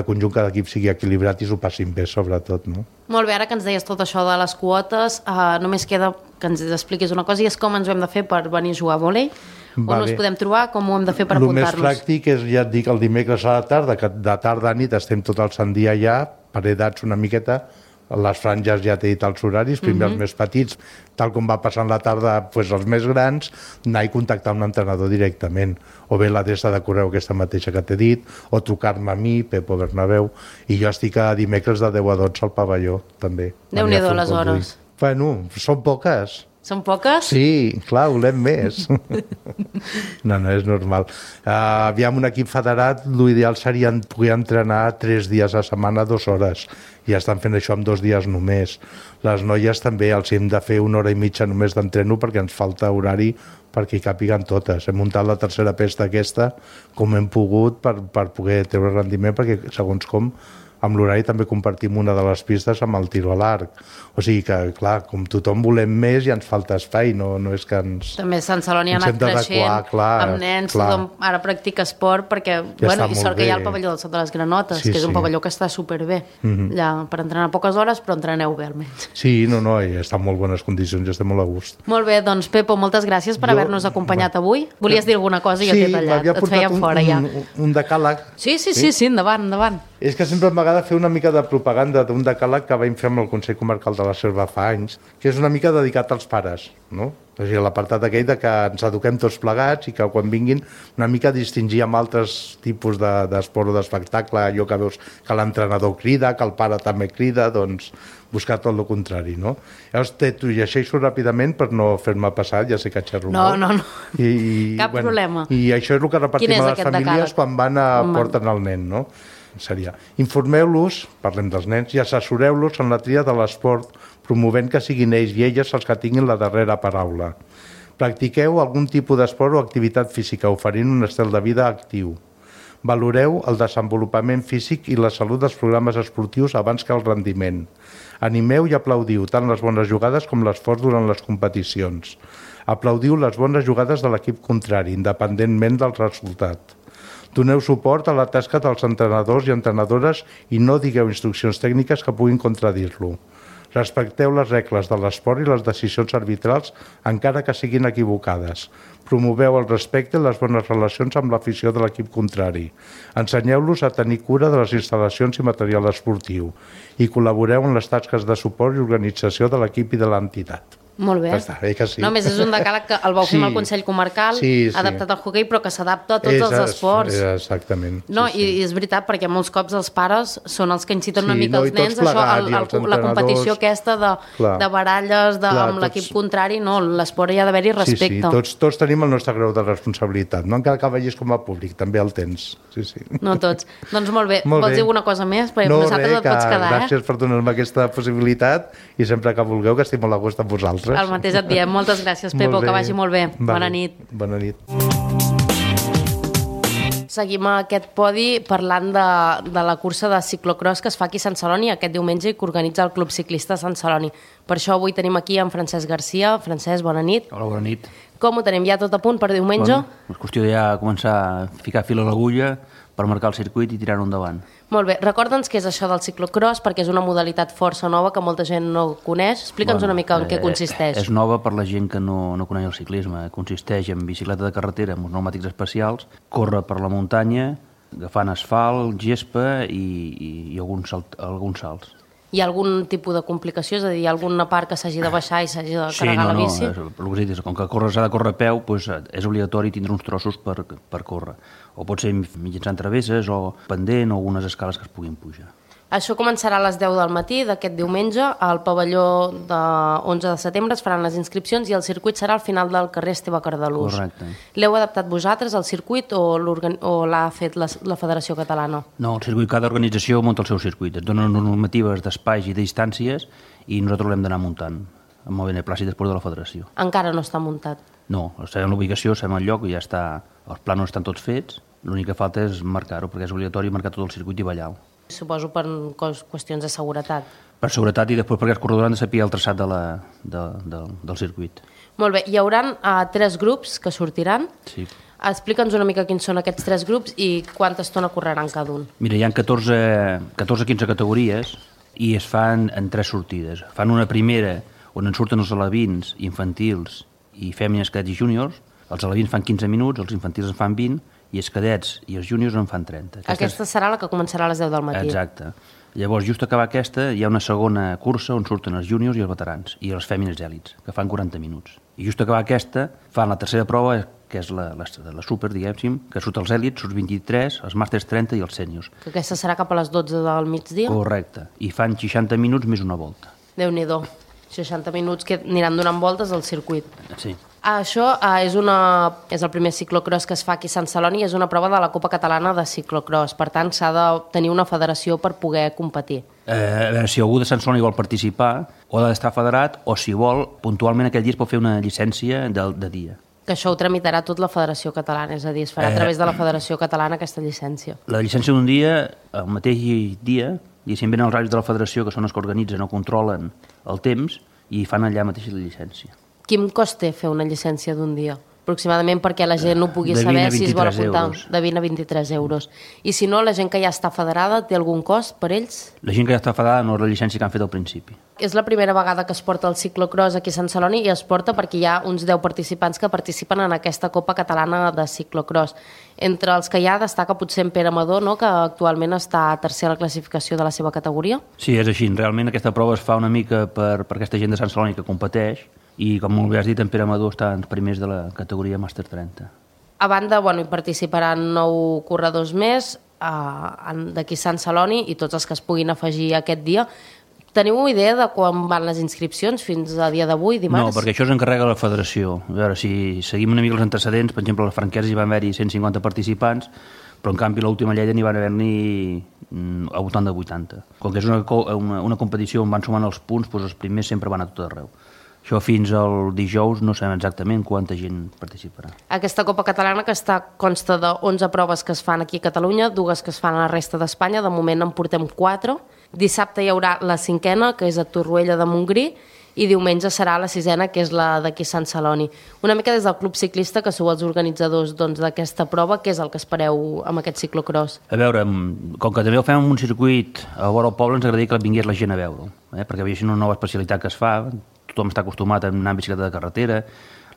conjunt, cada equip sigui equilibrat i s'ho passin bé, sobretot, no? Molt bé, ara que ens deies tot això de les quotes, només queda que ens expliquis una cosa, i és com ens ho hem de fer per venir a jugar a vòlei, on us podem trobar, com ho hem de fer per apuntar-nos. El més pràctic és, ja et dic, el dimecres a la tarda, que de tarda a nit estem tot el sant dia allà, per edats una miqueta, les franges ja t'he dit els horaris, primer els més petits, tal com va passant la tarda, doncs els més grans, anar i contactar amb un entrenador directament, o bé l'adreça de correu aquesta mateixa que t'he dit, o trucar-me a mi, Pepo Bernabéu, i jo estic a dimecres de 10 a 12 al pavelló, també. Déu-n'hi-do les hores. Bueno, són poques. Són poques? Sí, clar, volem més. No, és normal. Aviam, un equip federat, l'ideal seria poder entrenar 3 dies a setmana, 2 hores. I estan fent això en 2 dies només. Les noies també els hem de fer 1 hora i mitja només d'entreno perquè ens falta horari perquè hi càpiguen totes. Hem muntat la tercera pesta aquesta com hem pogut per poder treure rendiment, perquè segons com amb l'horari també compartim una de les pistes amb el tiro a l'arc. O sigui que, clar, com tothom volem més i ens falta espai, no és que ens... També Sant Celoni ha anat creixent, amb nens, tothom ara practica esport, perquè, bueno, i sort que hi ha el pavelló del Sot de les Granotes, que és un pavelló que està superbé, allà, per entrenar poques hores, però entreneu bé almenys. Sí, no, i està en molt bones condicions, estem molt a gust. Molt bé, doncs Pepo, moltes gràcies per haver-nos acompanyat avui. Volies dir alguna cosa i jo t'he tallat, et fèiem fora ja. Un decàleg. Sí, endavant. És que sempre m'agrada fer una mica de propaganda d'un decàleg que vam fer amb el Consell Comarcal de la Selva fa anys, que és una mica dedicat als pares, no? O sigui, l'apartat aquell de que ens eduquem tots plegats i que quan vinguin una mica distingir amb altres tipus d'esport o d'espectacle, allò que veus que l'entrenador crida, que el pare també crida, doncs buscar tot el contrari, no? Llavors t'ho llegeixo ràpidament per no fer-me passar, ja sé que xerro molt. No. Cap problema. I això és el que repartim a les famílies quan van a porten el nen, no? Seria, informeu-los, parlem dels nens, i assessoreu-los en la tria de l'esport, promovent que siguin ells i elles els que tinguin la darrera paraula. Practiqueu algun tipus d'esport o activitat física, oferint un estil de vida actiu. Valoreu el desenvolupament físic i la salut dels programes esportius abans que el rendiment. Animeu i aplaudiu tant les bones jugades com l'esforç durant les competicions. Aplaudiu les bones jugades de l'equip contrari, independentment del resultat. Doneu suport a la tasca dels entrenadors i entrenadores i no digueu instruccions tècniques que puguin contradir-lo. Respecteu les regles de l'esport i les decisions arbitrals, encara que siguin equivocades. Promoveu el respecte i les bones relacions amb l'afició de l'equip contrari. Ensenyeu-los a tenir cura de les instal·lacions i material esportiu i col·laboreu en les tasques de suport i organització de l'equip i de l'entitat. Molt bé. Està bé que sí. No, més és un decàleg que el vau fer amb el Consell Comarcal, adaptat al hoquei, però que s'adapta a tots els esports. Exactament. No, i és veritat, perquè molts cops els pares són els que inciten una mica els nens, la competició aquesta de baralles amb l'equip contrari, no, l'esport hi ha d'haver-hi respecte. Sí, tots tenim el nostre grau de responsabilitat, no encara que vegis com a públic, també el tens. Sí. No tots. Doncs molt bé, vols dir alguna cosa més? Perquè nosaltres et pots quedar, gràcies per donar-me aquesta possibilitat i sempre que vulgueu, que estic molt a gust amb vosaltres. vosaltres. El mateix et diem. Moltes gràcies, Pepo, que vagi molt bé. Bona nit. Bona nit. Seguim aquest podi parlant de la cursa de ciclocross que es fa aquí a Sant Celoni aquest diumenge i que organitza el Club Ciclista Sant Celoni. Per això avui tenim aquí en Francesc Garcia. Francesc, bona nit. Hola, bona nit. Com ho tenim ja tot a punt per diumenge? Bueno, és qüestió de ja començar a ficar fil a l'agulla per marcar el circuit i tirar-ho endavant. Molt bé, recorda'ns què és això del ciclocross, perquè és una modalitat força nova que molta gent no coneix. Explica'ns una mica en què consisteix. És nova per la gent que no coneix el ciclisme. Consisteix en bicicleta de carretera amb uns pneumàtics especials, córrer per la muntanya, agafant asfalt, gespa i alguns salts. Hi ha algun tipus de complicació? És a dir, hi ha alguna part que s'hagi de baixar i s'hagi de carregar la bici? Sí, com que s'ha de córrer a peu, doncs és obligatori tindre uns trossos per córrer. O pot ser mitjançant travesses o pendent o algunes escales que es puguin pujar. Això començarà a les 10 del matí d'aquest diumenge. Al pavelló de 11 de setembre es faran les inscripcions i el circuit serà al final del carrer Esteve Cardalús. Correcte. L'heu adaptat vosaltres, al circuit, o l'ha fet la Federació Catalana? No, el circuit, cada organització munta el seu circuit. Et donen normatives d'espais i de distàncies i nosaltres l'hem d'anar muntant amb el beneplàcit després de la Federació. Encara no està muntat? No, sabem l'ubicació, sabem el lloc i ja està. Els plànols estan tots fets. L'únic que falta és marcar-ho, perquè és obligatori marcar tot el circuit i ballar-ho. Suposo per qüestions de seguretat. Per seguretat i després perquè els corredors han de saber el traçat del circuit. Molt bé, hi haurà 3 grups que sortiran. Sí. Explica'ns una mica quins són aquests 3 grups i quanta estona correran cada un. Mira, hi ha 14-15 categories i es fan en 3 sortides. Fan una primera on en surten els alevins, infantils i fèmines, cadets i júniors. Els alevins fan 15 minuts, els infantils en fan 20 i els cadets i els júniors en fan 30. Aquesta serà la que començarà a les 10 del matí. Exacte. Llavors, just acabar aquesta, hi ha una segona cursa on surten els júniors i els veterans i els fèmines èlits, que fan 40 minuts. I just acabar aquesta, fan la tercera prova, que és la super, diguéssim, que surt els èlits, surt 23, els màsters 30 i els sèniors. Que aquesta serà cap a les 12 del migdia? Correcte. I fan 60 minuts més una volta. Déu-n'hi-do. 60 minuts que aniran donant voltes al circuit. Sí. Això és el primer ciclocross que es fa aquí a Sant Celoni i és una prova de la Copa Catalana de Ciclocross. Per tant, s'ha de tenir una federació per poder competir. A veure, si algú de Sant Celoni vol participar, o ha d'estar federat, o si vol, puntualment aquell dia es pot fer una llicència de dia. Que això ho tramitarà tot la Federació Catalana, és a dir, es farà a través de la Federació Catalana aquesta llicència. La llicència d'un dia, el mateix dia, i si venen els horaris de la Federació, que són els que organitzen o controlen el temps, i fan allà mateix la llicència. Quin cost té fer una llicència d'un dia? Aproximadament perquè la gent no pugui saber si es vol apuntar. De 20 a 23 euros. I si no, la gent que ja està federada té algun cost per ells? La gent que ja està federada no és la llicència que han fet al principi. És la primera vegada que es porta el ciclocross aquí a Sant Celoni i es porta perquè hi ha uns 10 participants que participen en aquesta Copa Catalana de Ciclocross. Entre els que hi ha destaca potser en Pere Amador, no?, que actualment està a tercera a la classificació de la seva categoria. Sí, és així. Realment aquesta prova es fa una mica per aquesta gent de Sant Celoni que competeix i, com molt bé has dit, en Pere Amador està en primers de la categoria Màster 30. A banda, hi participaran 9 corredors més d'aquí a Sant Celoni i tots els que es puguin afegir aquest dia. Teniu idea de quan van les inscripcions fins a dia d'avui, dimarts? No, perquè això s'encarrega la federació. A veure, si seguim una mica els antecedents, per exemple, a la Franquesa hi van haver-hi 150 participants, però en canvi l'última Lleida n'hi van haver-n'hi al voltant de 80. Com que és una competició on van sumant els punts, doncs els primers sempre van a tot arreu. Això fins al dijous no sabem exactament quanta gent participarà. Aquesta Copa Catalana que consta de 11 proves que es fan aquí a Catalunya, 2 que es fan a la resta d'Espanya, de moment en portem 4. Dissabte hi haurà la 5a, que és a Torroella de Montgrí, i diumenge serà la 6a, que és la d'aquí a Sant Celoni. Una mica des del Club Ciclista, que sou els organitzadors d'aquesta prova, què és el que espereu amb aquest ciclocross? A veure, com que també ho fem en un circuit a vora el poble, ens agradaria que vingués la gent a veure-ho, perquè veiessin una nova especialitat que es fa. Tothom està acostumat a anar en bicicleta de carretera,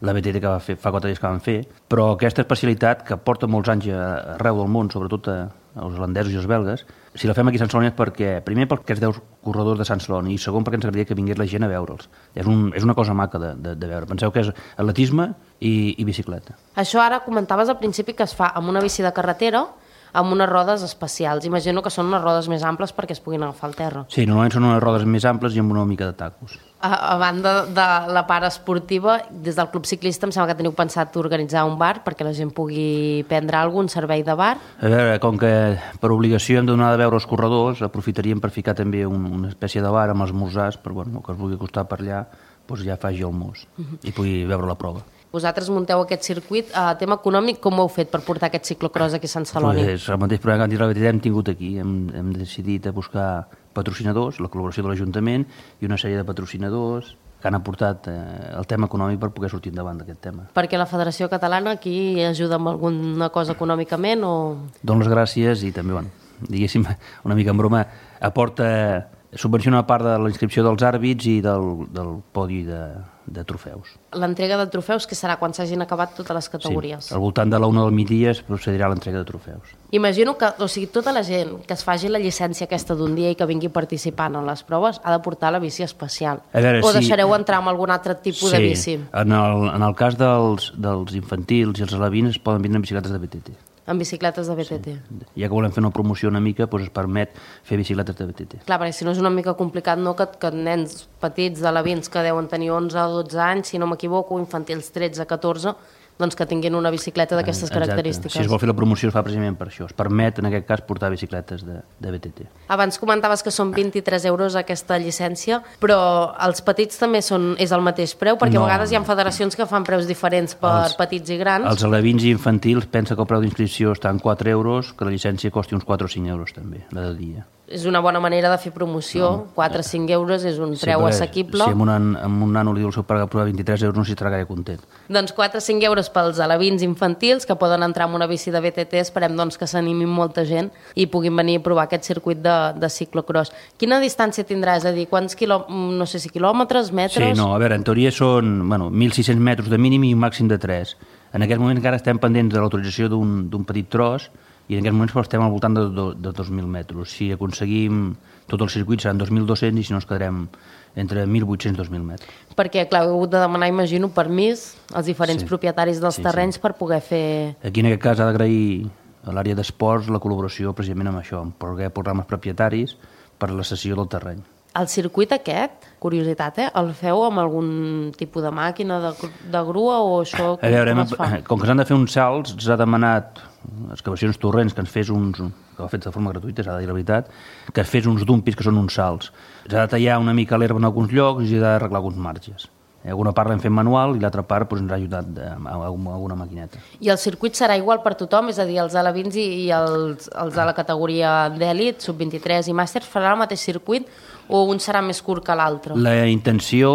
la BTT que fa 4 dies que van fer, però aquesta especialitat que porta molts anys arreu del món, sobretot als holandesos i els belgues, si la fem aquí a Sant Celoni és perquè, primer perquè els 10 corredors de Sant Celoni i segon perquè ens agradaria que vingués la gent a veure'ls. És una cosa maca de veure. Penseu que és atletisme i bicicleta. Això ara comentaves al principi que es fa amb una bici de carretera, amb unes rodes especials. Imagino que són unes rodes més amples perquè es puguin agafar al terra. Sí, normalment són unes rodes més amples i amb una mica de tacos. A banda de la part esportiva, des del Club Ciclista em sembla que teniu pensat organitzar un bar perquè la gent pugui prendre algun servei de bar. A veure, com que per obligació hem de donar de veure els corredors, aprofitaríem per ficar també una espècie de bar amb els esmorzars, per el que es vulgui acostar per allà, doncs ja faci el mos i pugui veure la prova. Vosaltres munteu aquest circuit. Tema econòmic, com ho heu fet per portar aquest ciclocross aquí a Sant Celoni? Pues el mateix problema que han dit hem tingut aquí. Hem decidit buscar patrocinadors, la col·laboració de l'Ajuntament i una sèrie de patrocinadors que han aportat el tema econòmic per poder sortir endavant d'aquest tema. Perquè la Federació Catalana aquí ajuda amb alguna cosa econòmicament o...? Dono les gràcies i també, diguéssim, una mica en broma, subvenciona una part de la inscripció dels àrbits i del podi de trofeus. L'entrega de trofeus, que serà quan s'hagin acabat totes les categories? Sí, al voltant de la 1 del migdia es procedirà a l'entrega de trofeus. Imagino que, tota la gent que es faci la llicència aquesta d'un dia i que vingui participant en les proves ha de portar la bici especial. O deixareu entrar amb algun altre tipus de bici? Sí, en el cas dels infantils i els alevins es poden vindre en bicicletes de BTT. En bicicletes de BTT. Sí. Ja que volem fer una promoció una mica, doncs es permet fer bicicletes de BTT. Clar, perquè si no és una mica complicat, no, que nens petits d'alevins que deuen tenir 11 o 12 anys, si no m'equivoco, infantils 13-14, doncs que tinguin una bicicleta d'aquestes característiques. Si es vol fer la promoció es fa precisament per això. Es permet, en aquest cas, portar bicicletes de BTT. Abans comentaves que són 23 euros aquesta llicència, però els petits també és el mateix preu, perquè a vegades hi ha federacions que fan preus diferents per petits i grans. Els alevins i infantils pensa que el preu d'inscripció està en 4 euros, que la llicència costi uns 4 o 5 euros també, la de dia. És una bona manera de fer promoció, 4 o 5 euros és un preu assequible. Si amb un nano li diu el seu pare que prova 23 euros no s'hi estarà gaire content. Doncs 4 o 5 euros pels alevins infantils que poden entrar en una bici de BTT, esperem doncs que s'animin molta gent i puguin venir a provar aquest circuit de ciclocross. Quina distància tindrà? És a dir, quants no sé si quilòmetres, metres? Sí, no, a veure, en teoria són 1.600 metres de mínim i un màxim de 3. En aquest moment encara estem pendents de l'autorització d'un petit tros i en aquests moments estem al voltant de 2.000 metres. Si aconseguim tot el circuit seran 2.200 i si no ens quedarem entre 1.800 i 2.000 metres. Perquè, clar, heu hagut de demanar, imagino, permís als diferents propietaris dels terrenys per poder fer... Aquí, en aquest cas, ha d'agrair a l'àrea d'esports la col·laboració precisament amb això, amb programes propietaris per la cessió del terreny. El circuit aquest, curiositat, el feu amb algun tipus de màquina, de grua o això com es fa? Com que s'han de fer uns salts, s'ha demanat excavacions torrents que ens fes que ho ha fet de forma gratuïta, s'ha de dir la veritat, que es fes uns dumpis que són uns salts. S'ha de tallar una mica l'herba en alguns llocs i s'ha d'arreglar alguns marges. Alguna part l'hem fet manual i l'altra part ens ha ajudat amb alguna maquineta. I el circuit serà igual per tothom? És a dir, els alevins i els de la categoria d'èlit, sub-23 i màsters, farà el mateix circuit o un serà més curt que l'altre? La intenció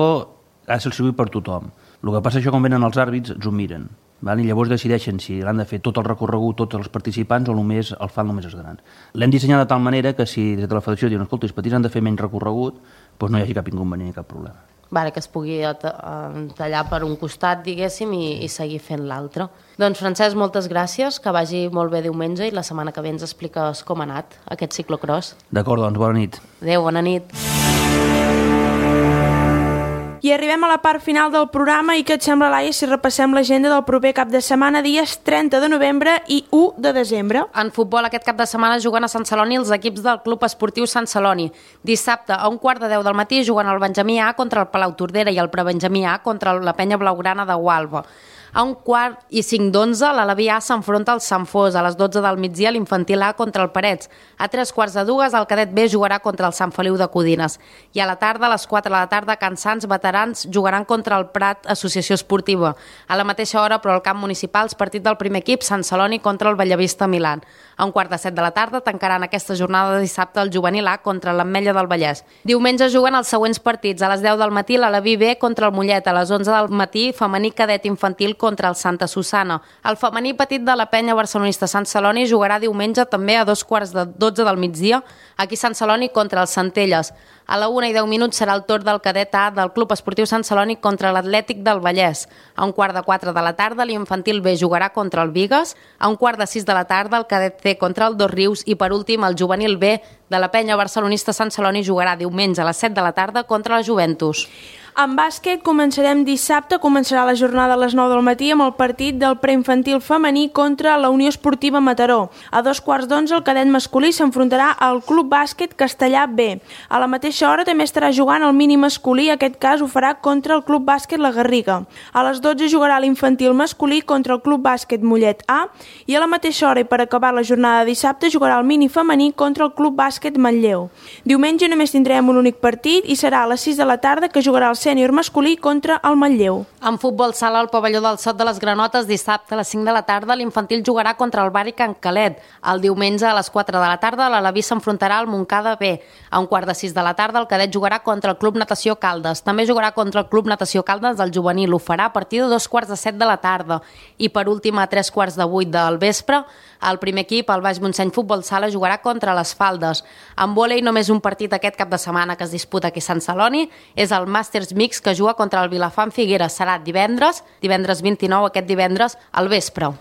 ha de ser el circuit per tothom. El que passa és que quan venen els àrbits ens ho miren. I llavors decideixen si l'han de fer tot el recorregut, tots els participants, o només el fan només els grans. L'hem dissenyat de tal manera que si des de la federació diuen escolta, els petits han de fer menys recorregut, doncs no hi hagi cap inconvenient ni cap problema. Que es pugui tallar per un costat, diguéssim, i seguir fent l'altre. Doncs, Francesc, moltes gràcies, que vagi molt bé diumenge i la setmana que ve ens expliques com ha anat aquest ciclocross. D'acord, doncs, bona nit. Adéu, bona nit. I arribem a la part final del programa i què et sembla, Laia, si repassem l'agenda del proper cap de setmana, dies 30 de novembre i 1 de desembre. En futbol aquest cap de setmana juguen a Sant Celoni els equips del Club Esportiu Sant Celoni. Dissabte a 1:15 del matí juguen el Benjamí A contra el Palau Tordera i el Prebenjamí A contra la Penya Blaugrana de Gualba. A 1:45 l'Alaví A s'enfronta al Sant Fos. A les 12 del migdia l'infantil A contra el Parets. A 3:15 el cadet B jugarà contra el Sant Feliu de Codines. I a la tarda, a les 4 de la tarda, Can Sants veterans jugaran contra el Prat Associació Esportiva. A la mateixa hora, però al camp municipal, el partit del primer equip, Sant Celoni contra el Bellavista Milà. A 1:15 de la tarda tancaran aquesta jornada de dissabte el Juvenil A contra l'Ametlla del Vallès. Diumenge juguen els següents partits. A les 10 del matí l'Alaví B contra el Mollet. A les 11 del matí femení cadet infantil contra el Santa Susana. El femení petit de la Penya Barcelonista Sant Celoni jugarà diumenge també a 2:12 del migdia aquí Sant Celoni contra els Centelles. A la 1:10 serà el torn del cadet A del Club Esportiu Sant Celoni contra l'Atlètic del Vallès. A 1:15 de la tarda l'infantil B jugarà contra el Bigues. A 1:45 de la tarda el cadet C contra el Dosrius i per últim el juvenil B de la Penya Barcelonista Sant Celoni jugarà diumenge a les 7 de la tarda contra la Juventus. En bàsquet començarem dissabte, començarà la jornada a les 9 del matí amb el partit del preinfantil femení contra la Unió Esportiva Mataró. A 11:15 el cadet masculí s'enfrontarà al Club Bàsquet Castellà B. A la mateixa hora també estarà jugant el mini masculí, aquest cas ho farà contra el Club Bàsquet La Garriga. A les 12 jugarà l'infantil masculí contra el Club Bàsquet Mollet A i a la mateixa hora i per acabar la jornada de dissabte jugarà el mini femení contra el Club Bàsquet Manlleu. Diumenge només tindrem un únic partit i serà a les 6 de la tarda que jugarà el sènior masculí contra el Manlleu. En futbol sala al pavelló del Sot de les Granotes, dissabte a les 5 de la tarda, l'infantil jugarà contra el Bari Can Calet. El diumenge a les 4 de la tarda, l'Alaví s'enfrontarà al Montcada B. A 5:45 de la tarda, el cadet jugarà contra el Club Natació Caldes. També jugarà contra el Club Natació Caldes del juvenil. Ho farà a partir de 7:15 de la tarda. I per últim, a 7:45 del vespre, el primer equip, el Baix Montseny Futbol Sala, jugarà contra les Faldes. En vòlei, només un partit aquest cap de setmana que es disputa aquí a Sant Celoni. És el Màsters Mix, que juga contra el Vilafant Figueres. Serà divendres 29, aquest divendres, al vespre.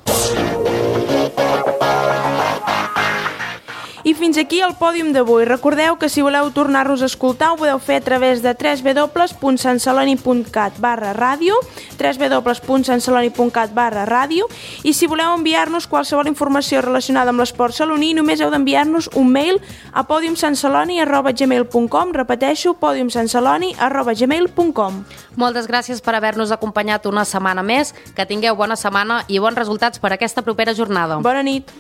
I fins aquí el pòdium d'avui. Recordeu que si voleu tornar-nos a escoltar ho podeu fer a través de www.santceloni.cat/ràdio, www.santceloni.cat/ràdio, i si voleu enviar-nos qualsevol informació relacionada amb l'esport saloní només heu d'enviar-nos un mail a podiumsantceloni@gmail.com. Repeteixo, podiumsantceloni@gmail.com. Moltes gràcies per haver-nos acompanyat una setmana més. Que tingueu bona setmana i bons resultats per aquesta propera jornada. Bona nit.